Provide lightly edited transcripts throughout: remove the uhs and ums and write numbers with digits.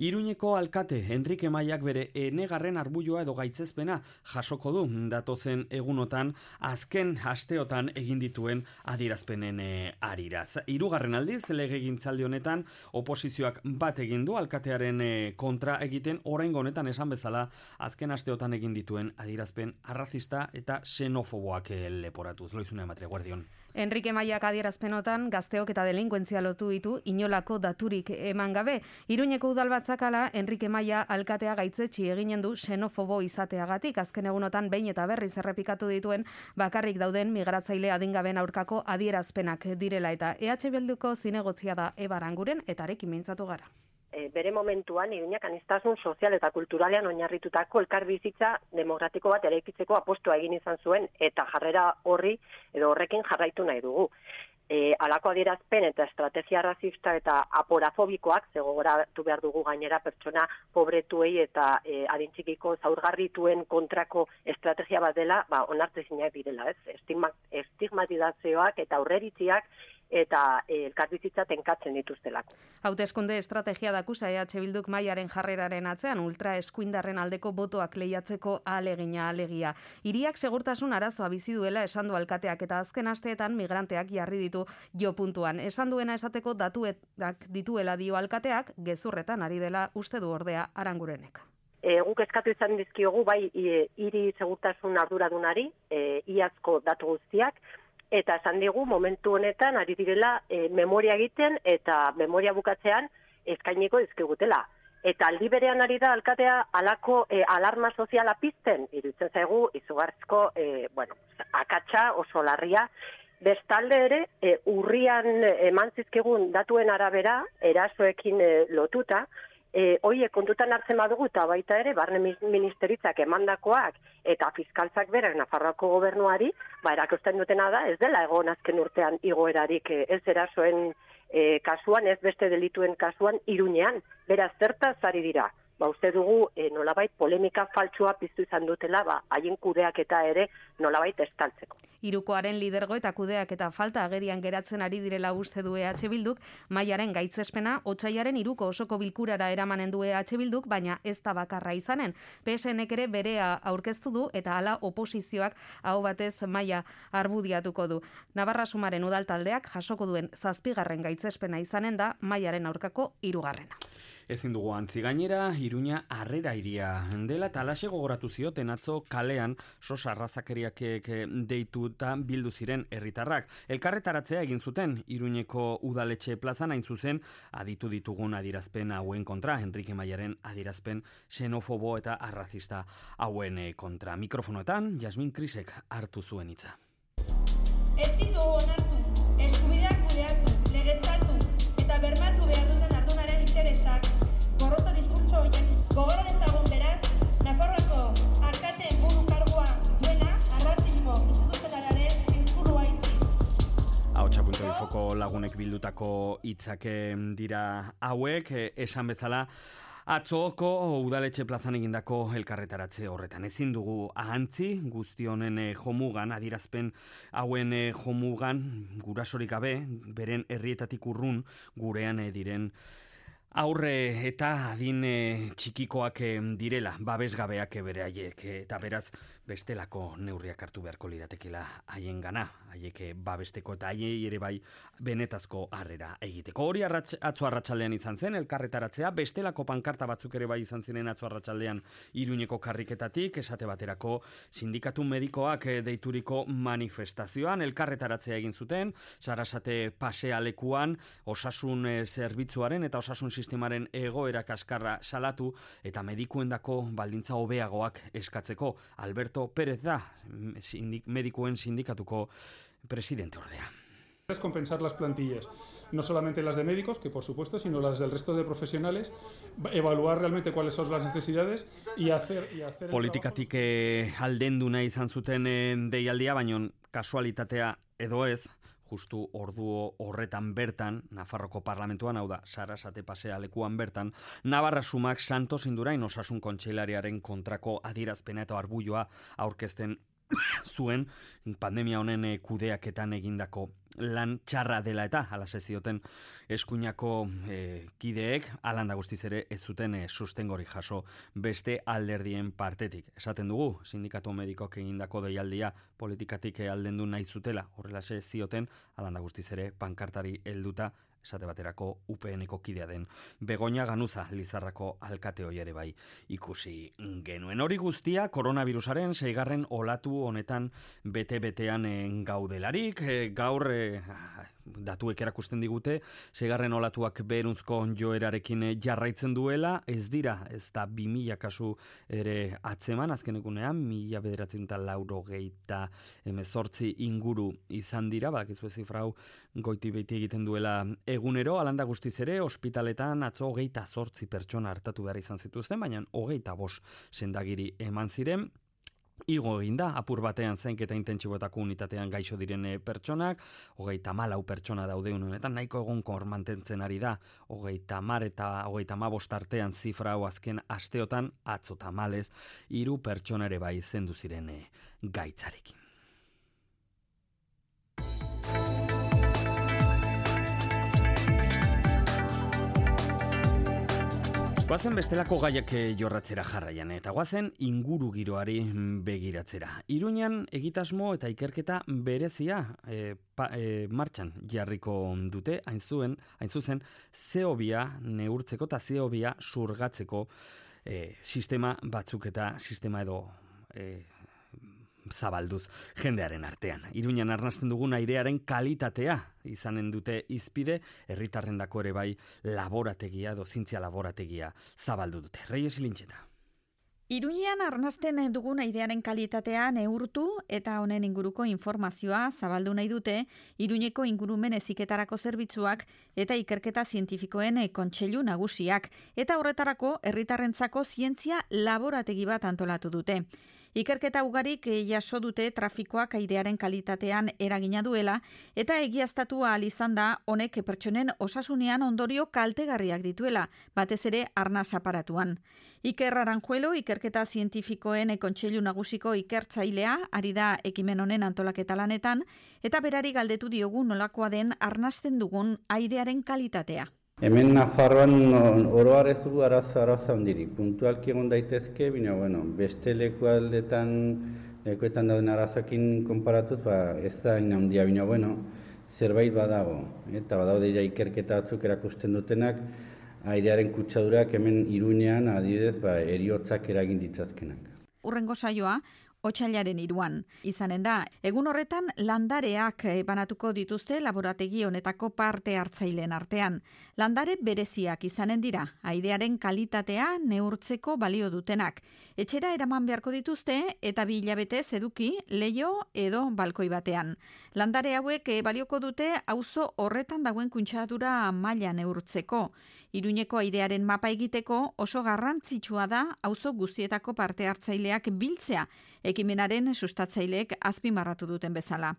Iruñeko alkate Enrique Maiak bere enegarren arbuioa edo gaitzespena jasoko du datozen egunotan azken asteotan egin dituen adierazpenen ariraz. Hirugarren aldiz legegintzaldi honetan oposizioak bat egin du alkatearen kontra egiten, oraingo honetan esan bezala azken asteotan egin dituen adierazpen arrazista eta xenofoboak leporatuz. Loizuna Ematria, Guardion. Enrique Maiak adierazpenotan gazteok eta delinkuentzia lotu ditu inolako daturik eman gabe. Iruñeko udalbatzak ala Enrique Maia alkatea gaitzetsi eginen du xenofobo izateagatik. Azken egunotan behin eta berriz errepikatu dituen bakarrik dauden migratzaile adingaben aurkako adierazpenak direla eta EH Bilduko zinegotzia da Eba Aranguren eta arekin mintzatu gara. Bere momentuan Iruñak aniztasun sozial eta kulturalean oinarritutako elkarbizitza demokratiko bat eraikitzeko apostua egin izan zuen eta jarrera horrekin jarraitu nahi dugu. Halako adierazpen eta estrategia razista eta aporafobikoak, gogoratu behar dugu gainera pertsona pobretuei eta adintxikiko zaurgarrituen kontrako estrategia bat dela, onartezinak direla, estigmatizazioak eta aurreritziak eta elkarbizitza tenkatzen dituztelako. Hauteskunde estrategia dakusa EH Bilduk Maiaren jarreraren atzean ultra eskuindarren aldeko botoak lehiatzeko alegia. Hiriak segurtasun arazoa bizi duela esan du alkateak eta azken asteetan migranteak jarri ditu jo puntuan. Esan duena esateko datuetak dituela dio alkateak, gezurretan ari dela uste du ordea Arangurenek. Guk eskatu izan dizkiogu bai hiri segurtasun arduradunari, iazko datu guztiak, eta esan digu momentu honetan ari direla memoria egiten eta memoria bukatzean eskainiko dizkigutela. Eta aldi berean ari da alkatea halako alarma soziala pizten, iruditzen zaigu izugarrizko akatsa oso larria. Bestalde ere, urrian eman zizkigun datuen arabera, erasoekin lotuta, hoiek kontutan hartzen badugu eta baita ere barne ministeritzak emandakoak eta fiskaltzak berak Nafarroako gobernuari, erakusten dutena da, ez dela egon azken urtean igoerarik ez erasoen kasuan, ez beste delituen kasuan Iruñean. Beraz, zertaz ari dira? Uste dugu nolabait polemika faltsua piztu izan dutela, haien kudeaketa ere nolabait estaltzeko. Hirukoaren lidergo eta kudeaketa falta agerian geratzen ari direla uste du EH Bilduk, Maiaren gaitzespena otsailaren 3ko osoko bilkurara eramanen du EH Bilduk, baina ez da bakarra izanen. PSNek ere berea aurkeztu du eta hala oposizioak aho batez Maia argudiatuko du. Navarra Sumaren udaltaldeak jasoko duen 7. gaitzespena izanen da Maiaren aurkako 3. Ezin dugu antzi gainera, Iruña harrera iria dela eta alaxe gogoratu zioten atzo kalean sosa arrazakeriak deituta bildu ziren herritarrak. Elkarretaratzea egin zuten Iruñeko udaletxe plazan hain zuzen aditu ditugun adierazpen hauen kontra, Enrique Maiaren adierazpen xenofobo eta arrazista hauen kontra. Mikrofonoetan, Jasmin Krisek hartu zuen hitza. Ez ditugu onartu, eskubideak kudeatu, legeztatu eta bermatu behar duten ardunaren interesak. Gorrota diskurtso horiek gogoran ezagun beraz, Nafarroako alkateen buru kargua duena arrazismo instituzionalaren zirkulua itxi. Ahotsa.infoko lagunek bildutako hitzak dira hauek, esan bezala atzoko udaletxe plazan egindako elkarretaratze horretan. Ezin dugu ahantzi guzti honen jomugan, adierazpen hauen jomugan, gurasorik gabe, beren herrietatik urrun gurean diren aurre eta adin txikikoak direla, babesgabeak bere haiek, eta beraz bestelako neurriak hartu beharko liratekela haien gana, haiek babesteko eta haiei ere bai benetazko harrera egiteko. Hori atzo arratsaldean izan zen, elkarretaratzea, bestelako pankarta batzuk ere bai izan ziren atzo arratsaldean Iruñeko karriketatik, esate baterako sindikatu medikoak deituriko manifestazioan, elkarretaratzea egin zuten, Sarasate pasealekuan, osasun zerbitzuaren eta osasun sistemaren egoera kaskarra salatu eta medikuendako baldintza hobeagoak eskatzeko. Alberto Pérez da, medikuen sindikatuko presidente ordea. Es compensar las plantillas, no solamente las de médicos, que por supuesto, sino las del resto de profesionales, evaluar realmente cuáles son las necesidades y hacer Politikatik aldendu nahi izan zuten deialdia, baina kasualitatea edo ez, justu ordu horretan bertan, Nafarroko parlamentuan, hau da, Sarasate pasealekuan bertan, Navarra Sumak Santos Indurain osasun kontseilariaren kontrako adierazpena eta arbuioa aurkezten zuen pandemia honen kudeaketan egindako lan txarra dela eta halase zioten eskuinako kideek, alanda guztiz ere ez zuten sustengori jaso beste alderdien partetik. Esaten dugu, sindikatu medikoak egindako deialdia politikatik aldendu nahi zutela, horrelase zioten, alanda guztiz ere pankartari helduta, esate baterako UPN-eko kidea den Begoña Ganuza Lizarrako alkate hori ere bai ikusi genuen. Hori guztia koronavirusaren 6. olatu honetan bete-betean gaudelarik. Gaur datuek erakusten digute 6. olatuak beherunzko joerarekin jarraitzen duela, ez dira, ez da 2000 kasu ere atzeman, azkenekunean 1988 inguru izan dira, bakizu zifrau goiti beiti egiten duela egunero, alanda guztiz ere, ospitaletan atzo 28 pertsona hartatu behar izan zituzten, baina 25 sendagiri eman ziren. Igo egin da, apur batean zainketa intentsiboetako unitatean gaixo diren pertsonak, 34 pertsona daude honetan, nahiko egonkor mantentzen ari da, 30 eta 35 artean zifra hau azken asteotan, atzo tamalez, 3 pertsona ere bai zendu ziren gaitzarekin. Guazen bestelako gaiak jorratzera jarraian, eta guazen inguru giroari begiratzera. Iruñan egitasmo eta ikerketa berezia martxan jarriko dute, hain zuzen, CO2 neurtzeko eta CO2 surgatzeko sistema batzuk eta sistema edo zabalduz jendearen artean. Iruñan arnasten dugun airearen kalitatea izanen dute izpide, herritarrendako ere bai laborategia, zientzia laborategia zabaldu dute. Reyes Lintxeta. Iruñean arnasten dugun airearen kalitatea neurtu eta honen inguruko informazioa zabaldu nahi dute Iruñeko ingurumen heziketarako zerbitzuak eta ikerketa zientifikoen kontseilu nagusiak, eta horretarako herritarrentzako zientzia laborategi bat antolatu dute. Ikerketa ugarik jaso dute trafikoak airearen kalitatean eragina duela, eta egiaztatu ahal izan da honek pertsonen osasunean ondorio kaltegarriak dituela, batez ere arnas aparatuan. Iker Aranjuelo, ikerketa zientifikoen kontseilu nagusiko ikertzailea, ari da ekimen honen antolaketa lanetan, eta berari galdetu diogu nolakoa den arnasten dugun airearen kalitatea. Hemen Nafarroan oroar ez dugu arazo handirik. Puntualki egon daitezke, baina beste lekuetan dauden arazoekin konparatuz, ez da hain handia, baina zerbait badago. Eta badaude ja ikerketa batzuk erakusten dutenak, airearen kutsadurak hemen Iruñean adibidez heriotzak eragin ditzazkenak. Hurrengo saioa otsailaren 3 izanen da. Egun horretan landareak banatuko dituzte laborategi honetako parte hartzaileen artean. Landare bereziak izanen dira, airearen kalitatea neurtzeko balio dutenak. Etxera eraman beharko dituzte eta 2 hilabetez eduki leiho edo balkoi batean. Landare hauek balioko dute auzo horretan dagoen kuntsadura maila neurtzeko. Iruñeko airearen mapa egiteko oso garrantzitsua da auzo guztietako parte hartzaileak biltzea, ekimenaren sustatzaileek azpimarratu duten bezala.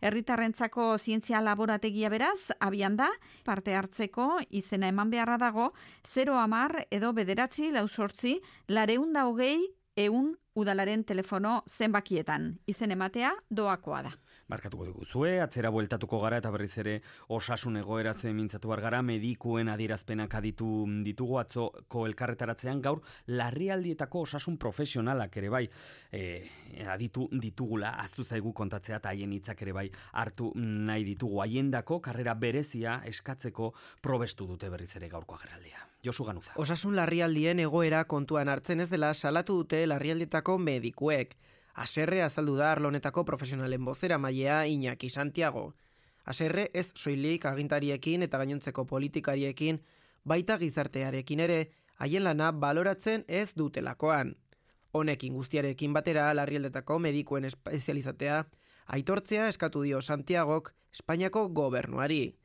Herritarrentzako zientzia laborategia beraz, abian da, parte hartzeko izena eman beharra dago, 010 edo 948 420 100 udalaren telefono zenbakietan. Izen ematea doakoa da. Markatuko diguzue, atzera bueltatuko gara eta berriz ere osasun egoeratzen mintzatu gara, medikuen adierazpenak aditu ditugu atzoko elkarretaratzean, gaur larrialdietako osasun profesionalak ere bai aditu ditugula, aztu zaigu kontatzea eta haien hitzak ere bai hartu nahi ditugu. Haiendako karrera berezia eskatzeko probestu dute berriz ere gaurko agerraldia. Josu Ganuza. Osasun larrialdien egoera kontuan hartzen ez dela salatu dute larrialdietako medikuek. Haserre azaldu da arlo honetako profesionalen bozeramailea Iñaki Santiago. Haserre ez soilik agintariekin eta gainontzeko politikariekin, baita gizartearekin ere, haien lana baloratzen ez dutelakoan. Honekin guztiarekin batera larrialdetako medikuen espezializatea aitortzea eskatu dio Santiagok Espainiako gobernuari.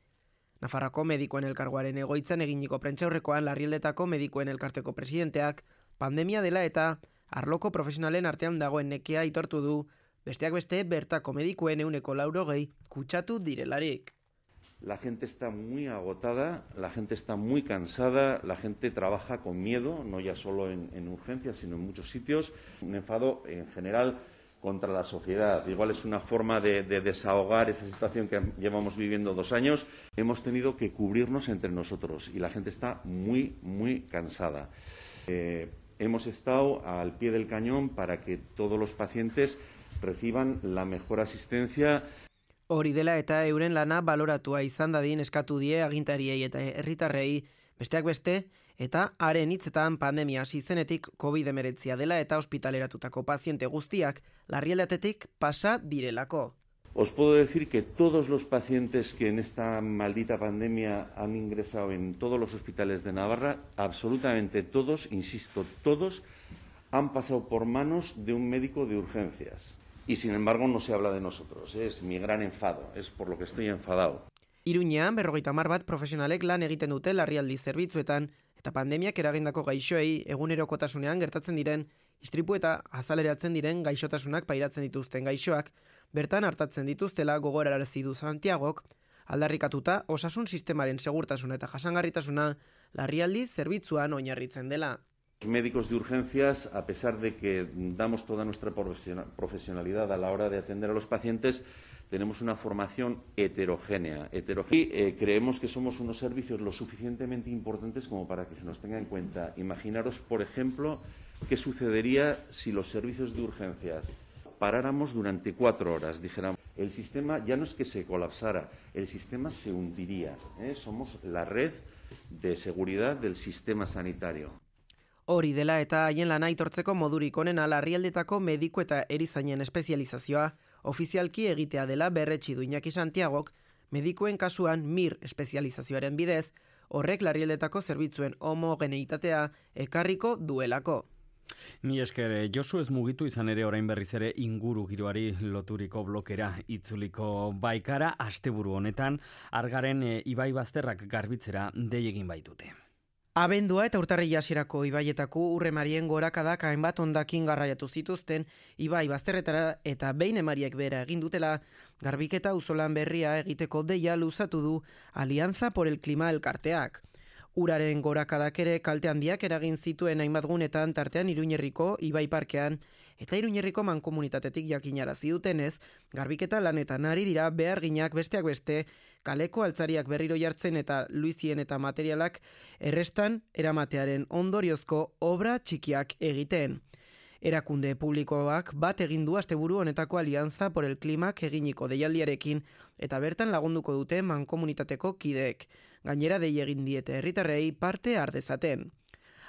Nafarroko medikuen elkargoaren egoitzan eginiko prentsaurrekoan larrialdetako medikuen elkarteko presidenteak pandemia dela eta arloko profesionalen artean dagoen nekea aitortu du, besteak beste bertako medikuen 80% kutsatu direlarik. La gente está muy agotada, la gente está muy cansada, la gente trabaja con miedo, no ya solo en urgencias, sino en muchos sitios. Un enfado en general contra la sociedad. Igual es una forma de desahogar esa situación que llevamos viviendo 2 años. Hemos tenido que cubrirnos entre nosotros y la gente está muy, muy cansada. Hemos estado al pie del cañón para que todos los pacientes reciban la mejor asistencia. Hori dela eta euren lana baloratua izan dadin eskatu die agintariei eta herritarrei, besteak beste, eta haren hitzetan pandemia hasi zenetik COVID-19 dela eta ospitaleratutako paziente guztiak larrialdatetik pasa direlako. Os puedo decir que todos los pacientes que en esta maldita pandemia han ingresado en todos los hospitales de Navarra, absolutamente todos, insisto, todos, han pasado por manos de un médico de urgencias. Y sin embargo no se habla de nosotros, es mi gran enfado, es por lo que estoy enfadado. Iruñean 50 bat profesionalek lan egiten dute larrialdi zerbitzuetan eta pandemiak eragindako gaixoei egunerokotasunean gertatzen diren istripu eta azaleratzen diren gaixotasunak pairatzen dituzten gaixoak bertan hartatzen dituztela gogorarazi du Santiagok, aldarrikatuta osasun sistemaren segurtasuna eta jasangarritasuna larrialdi zerbitzuan oinarritzen dela. Los médicos de urgencias, a pesar de que damos toda nuestra profesionalidad a la hora de atender a los pacientes, tenemos una formación heterogénea. Y creemos que somos unos servicios lo suficientemente importantes como para que se nos tenga en cuenta. Imaginaros, por ejemplo, qué sucedería si los servicios de urgencias paráramos durante 4 horas. Dijéramos, el sistema ya no es que se colapsara, el sistema se hundiría. Somos la red de seguridad del sistema sanitario. Hori dela eta haien lana aitortzeko modurik onena larrialdetako mediku eta erizainen espezializazioa ofizialki egitea dela berretsi du Iñaki Santiagok, medikuen kasuan MIR espezializazioaren bidez, horrek larrialdetako zerbitzuen homogeneitatea ekarriko duelako. Mi esker, Josu ez mugitu izan ere orain berriz ere inguru giroari loturiko blokera itzuliko baikara asteburu honetan argaren ibai bazterrak garbitzera dei egin baitute. Abendua eta urtarrila hasierako ibaietako urremarien gorakadak hainbat hondakin garraiatu zituzten ibai bazterretara eta behin emariek bera egin dutela garbiketa auzolan berria egiteko deia luzatu du Alianza por el Clima elkarteak. Uraren gorakadak ere kalte handiak eragin zituen hainbat gunetan tartean Iruñerriko ibai parkean eta Iruñerriko mankomunitatetik jakinarazi dutenez, garbiketa lanetan ari dira beharginak besteak beste kaleko altzariak berriro jartzen eta luizien eta materialak errestan eramatearen ondoriozko obra txikiak egiten. Erakunde publikoak bat egin du asteburu honetako Alianza por el Climak eginiko deialdiarekin eta bertan lagunduko dute mankomunitateko kideek. Gainera dei egin diete herritarrei parte har dezaten.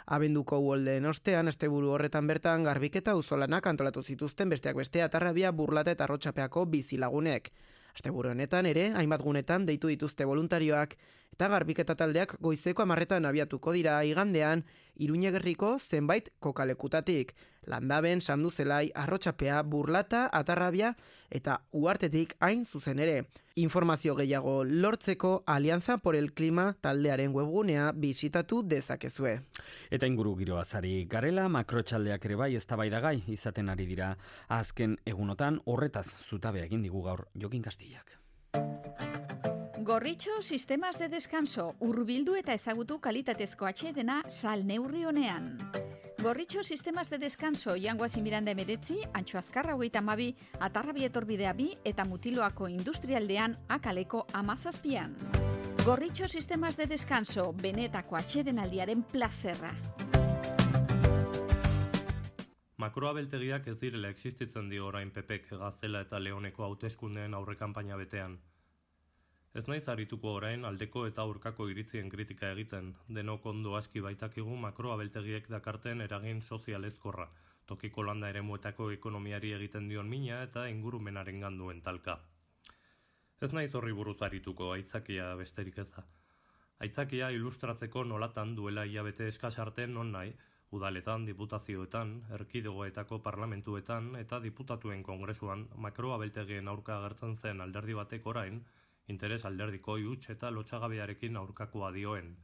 Abenduko uholdeen ostean asteburu horretan bertan garbiketa auzolanak antolatu zituzten besteak beste Atarrabia, Burlata eta Arrotxapeako bizilagunek. Asteburu honetan ere, hainbat gunetan deitu dituzte voluntarioak eta garbiketa taldeak goizeko 10etan abiatuko dira igandean Iruñegerriko zenbait kokalekutatik. Landaben, Sanduzelai, Arrotxapea, Burlata, Atarrabia eta Uhartetik hain zuzen ere. Informazio gehiago lortzeko Alianza por el Clima taldearen webgunea bisitatu dezakezue. Eta inguru giroazari garela makrotxaldeak ere bai eztabaidagai izaten ari dira azken egunotan horretaz zutabe egin digu gaur Jokin Castillak. Gorritxo sistemas de descanso hurbildu eta ezagutu kalitatezko atsedena sal neurri honean. Gorritxo sistemas de descanso Jangoasi Miranda 19, Antxo Azkarra 32, Atarrabia etorbidea 2 eta Mutiloako industrialdean Akaleko 17. Gorritxo sistemas de descanso benetako atsedenaldiaren plazerra. Makroabeltegiak ez direla existitzen dio orain PPek Gaztela eta Leoneko hauteskundeen aurrekanpaina betean. Ez naiz arituko orain aldeko eta aurkako iritzien kritika egiten, denok ondo aski baitakigu makroabeltegiek dakarten eragin sozialezkorra, tokiko landa eremuetako ekonomiari egiten dion mina eta ingurumenaren ganduen talka. Ez naiz horri buruz arituko, aitzakia besterik ez da. Aitzakia ilustratzeko nolatan duela hilabete eskas arte non nahi, udaletan, diputazioetan, erkidegoetako parlamentuetan eta diputatuen kongresuan makroabeltegien aurka agertzen zen alderdi batek orain, interes alderdiko huts eta lotsagabearekin aurkakoa dioen.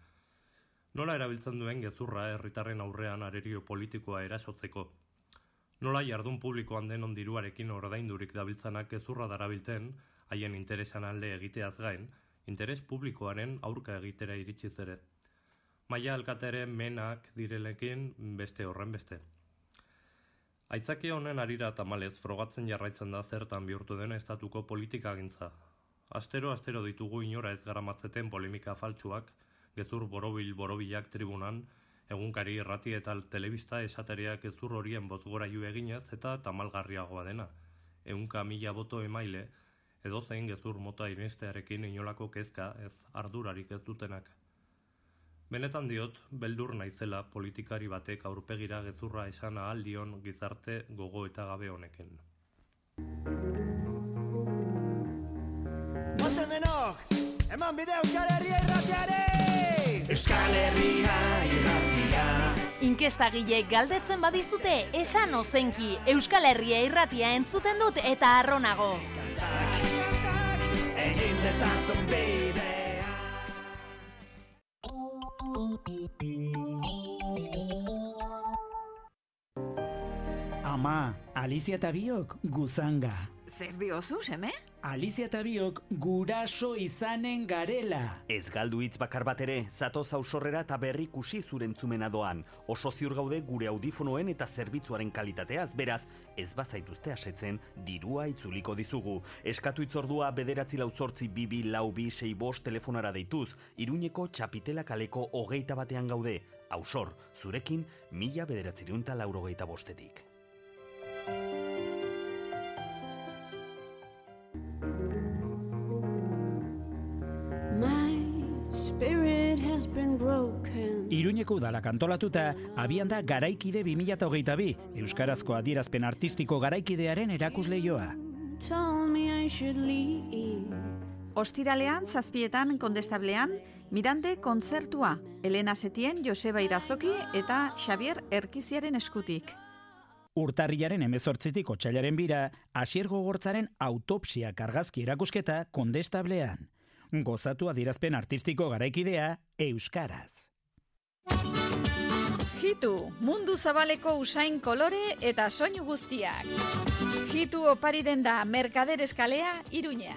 Nola erabiltzen duen gezurra herritarren aurrean arerio politikoa erasotzeko. Nola jardun publikoan denon diruarekin ordaindurik dabiltzanak gezurra darabilten, haien interesan alde egiteaz gain, interes publikoaren aurka egitera iritsiz ere. Maila alkatere menak direlekin beste horren beste. Aitzaki honen arira tamalez frogatzen jarraitzen da zertan bihurtu den estatuko politikagintza. Astero ditugu inora ez garamatzeten polemika faltsuak, gezur borobilak tribunan, egunkari irrati eta telebista esatereak gezur horien bozgorailu eginez eta tamalgarriagoa dena. 100.000 boto emaile, edozein gezur mota inestearekin inolako kezka ez ardurarik ez dutenak. Benetan diot, beldur naizela politikari batek aurpegira gezurra esan ahal dion gizarte gogo eta gabe honeken. Gozen denok, eman bide Euskal Herria irratiare! Euskal Herria irratia. Inkestagileek galdetzen badizute, esan ozenki, Euskal Herria irratia entzuten dut eta arronago. Egin dezazun bidea. Ama, Alizia eta biok guzanga. Zer diozu, seme? Alizia eta biok guraso izanen garela. Ez galdu hitz bakar bat ere, zatoz ausorrera eta berrikusi zurentzumena doan. Oso ziur gaude gure audifonoen eta zerbitzuaren kalitateaz, beraz, ez bazaituzte asetzen, dirua itzuliko dizugu. Eskatu itzordua 9882264 telefonara deituz, Iruñeko Txapitela kaleko 21 gaude. Ausor, zurekin 1985. Iruñeko udalak antolatuta, abian da Garaikide 2022, euskarazko adierazpen artistiko garaikidearen erakusleioa. Ostiralean, 7:00 Kondestablean, Mirande kontzertua, Elena Setien, Joseba Irazoki eta Xavier Erkiziaren eskutik. Urtarrilaren 18tik otsailaren 2, Asier Gogortzaren autopsia argazki erakusketa Kondestablean. Gozatu adierazpen artistiko garaikidea euskaraz. Hitu, mundu zabaleko usain kolore eta soinu guztiak. Hitu opari den da Merkader Eskalea, Iruña.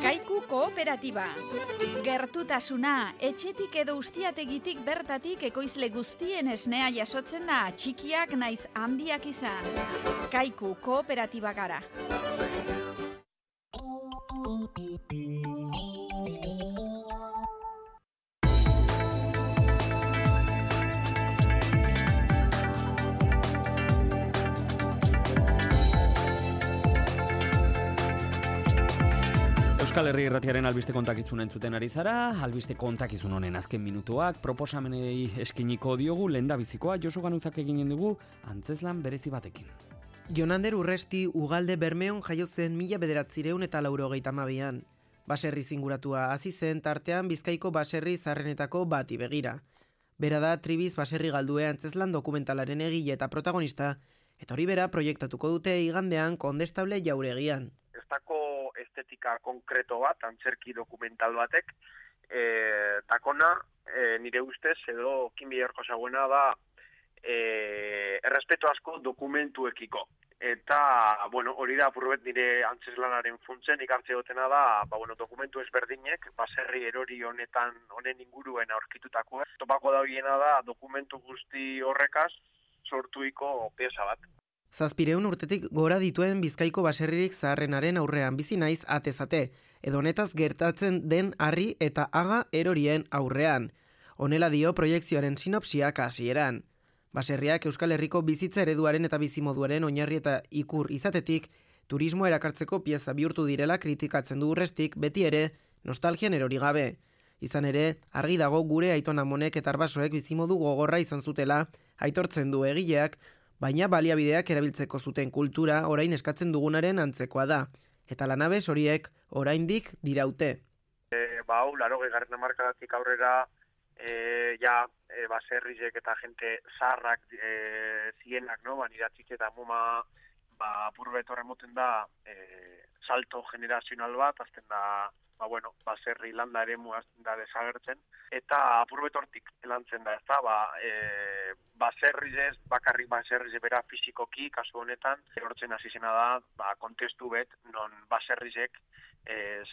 Kaiku kooperatiba. Gertutasuna, etxetik edo ustiategitik bertatik ekoizle guztien esnea jasotzen da, txikiak naiz handiak izan. Kaiku kooperatiba gara. Euskal Herri irratiaren albiste kontakizun entzuten ari zara, albiste kontakizun honen azken minutuak, proposamenei eskiniko diogu, lehendabizikoa Josu Ganutzak eginen dugu, antzezlan berezi batekin. Jonander Urresti Ugalde Bermeon jaio zen 1982an. Baserri zinguratua hasi zen tartean Bizkaiko baserri zarrenetako bati begira. Bera da Tribiz baserri galdue antzezlan dokumentalaren egile eta protagonista, eta hori bera proiektatuko dute igandean Kondestable jauregian. Ez dako estetika konkreto bat, antzerki dokumental batek, takona, nire ustez, edo kinbiderko zagoena da, errespeto asko dokumentuekiko. Eta, hori da apurbet nire antzeslanaren funtzen ikartze gotena da, dokumentu ezberdinek, baserri erori honen inguruen aurkitutakoa. Topako da horiena da, dokumentu guzti horrekaz sortuiko pieza bat. 700 urtetik gora dituen Bizkaiko baserririk zaharrenaren aurrean bizi naiz atezate, edo honetaz gertatzen den harri eta aga erorien aurrean. Honela dio proiekzioaren sinopsiak hasieran. Baserriak Euskal Herriko bizitza ereduaren eta bizimoduaren oinarri eta ikur izatetik, turismo erakartzeko pieza bihurtu direla kritikatzen du Urrestik, beti ere nostalgian erori gabe. Izan ere, argi dago gure aiton amonek eta arbasoek bizimodu gogorra izan zutela, aitortzen du egileak, baina baliabideak erabiltzeko zuten kultura orain eskatzen dugunaren antzekoa da. Eta lanabes horiek oraindik diraute. Hau, 80. hamarkadatik aurrera, baserrizek eta jente zaharrak zienak, niratzik eta muma apurbet horremoten da salto generazional bat, azten da, baserri landa ere muazten da desagertzen, eta apurbet hortik elantzen da, ez da, baserrizez, bakarrik baserrize bera fizikoki, kasu honetan, hortzen hasi zena da, kontestu bet, non baserrizek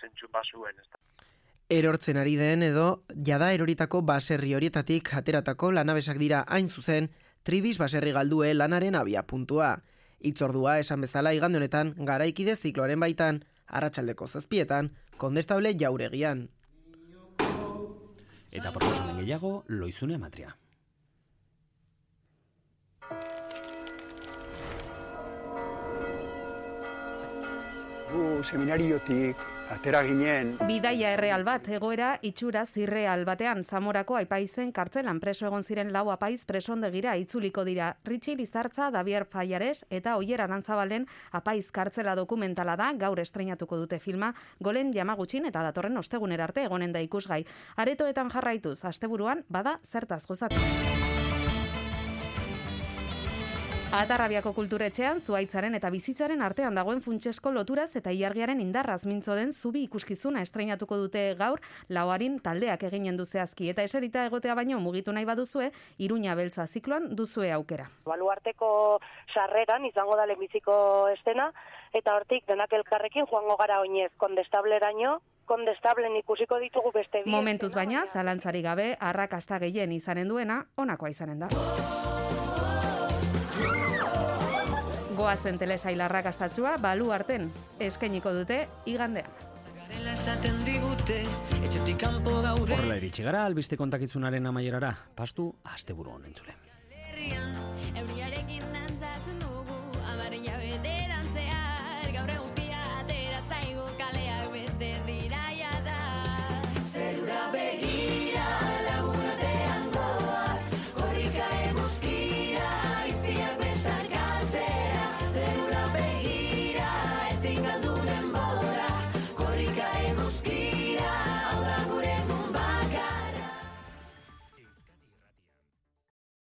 zentzun bazuen, ez da. Erortzen ari den edo jada eroritako baserri horietatik ateratako lanabesak dira hain zuzen Tribis baserri galdue lanaren abia puntua. Itzordua esan bezala igande honetan Garaikide zikloaren baitan, arratsaldeko 7etan, Kondestable jauregian. Eta proposamen gehiago, Loizune Amatria. Seminariotik atera ginen. Bidaia erreal bat, egoera itxura zirreal batean, Zamorako Aipaizen kartzelan preso egon ziren 4 apaiz presondegira itzuliko dira. Ritxi Lizartza, Davier Fallares eta Oier Arantzabalen apaiz kartzela dokumentala da, gaur estreinatuko dute filma, Golen Yamagutxin eta datorren ostegunera arte egonen da ikusgai. Aretoetan jarraituz, asteburuan bada zertaz gozatu. Atarrabiako kulturetxean, zuaitzaren eta bizitzaren artean dagoen funtsesko loturaz eta ilargiaren indarraz mintzo den zubi ikuskizuna estreinatuko dute gaur, Lauarin taldeak eginen du zehazki. Eta eserita egotea baino mugitu nahi baduzue, Iruña Beltza zikloan duzue aukera. Baluarteko sarreran izango da lehenbiziko estena, eta hortik denak elkarrekin joango gara oinez Kondestableraino, Kondestablen ikusiko ditugu beste bi. Momentuz baina, zalantzari gabe, arrakasta gehien izanen duena, honakoa izanen da. Goazen telesail arrakastatsua Baluarten eskainiko dute igandean. Horrela iritsi gara albiste kontakitzunaren amaierara, pastu asteburu honen zule.